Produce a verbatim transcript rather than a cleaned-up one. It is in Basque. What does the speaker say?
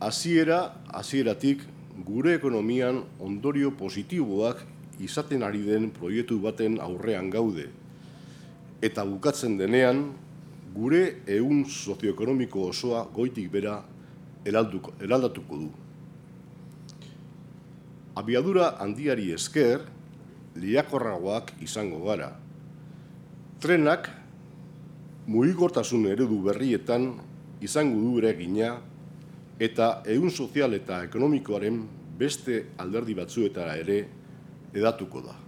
hasiera hasieratik gure ekonomian ondorio positiboak izaten ari den proiektu baten aurrean gaude. Eta bukatzen denean, gure ehun sozioekonomiko osoa goitik bera eraldatuko du. Abiadura handiari esker, lehiakorragoak izango gara. Trenak mugikortasun eredu berrietan izango du eragina eta ehun sozial eta ekonomikoaren beste alderdi batzuetara ere hedatuko da.